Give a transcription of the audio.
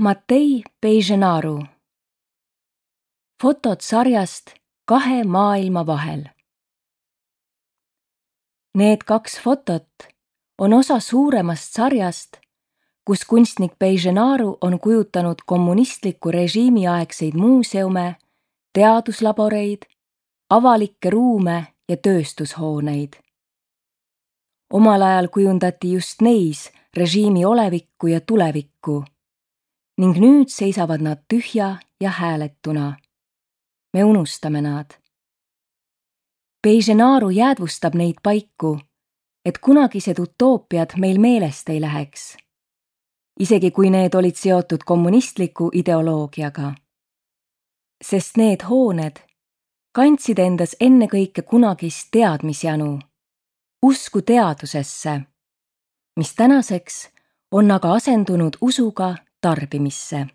Matei Peijenaru. Fotod sarjast Kahe maailma vahel. Need 2 fotot on osa suuremast sarjast, kus kunstnik Peijenaru on kujutanud kommunistliku režiimi aegseid muuseume, teaduslaboreid, avalikke ruume ja tööstushooneid. Omal ajal kujundati just neis režiimi olevikku ja tulevikku ning nüüd seisavad nad tühja ja hääletuna. Me unustame nad. Peijenaru jäädvustab neid paiku, et kunagised utoopiad meil meelest ei läheks, isegi kui need olid seotud kommunistliku ideoloogiaga. Sest need hooned kandsid endas ennekõike kunagist teadmisjanu, usku teadusesse, mis tänaseks on aga asendunud usuga tarbimisse.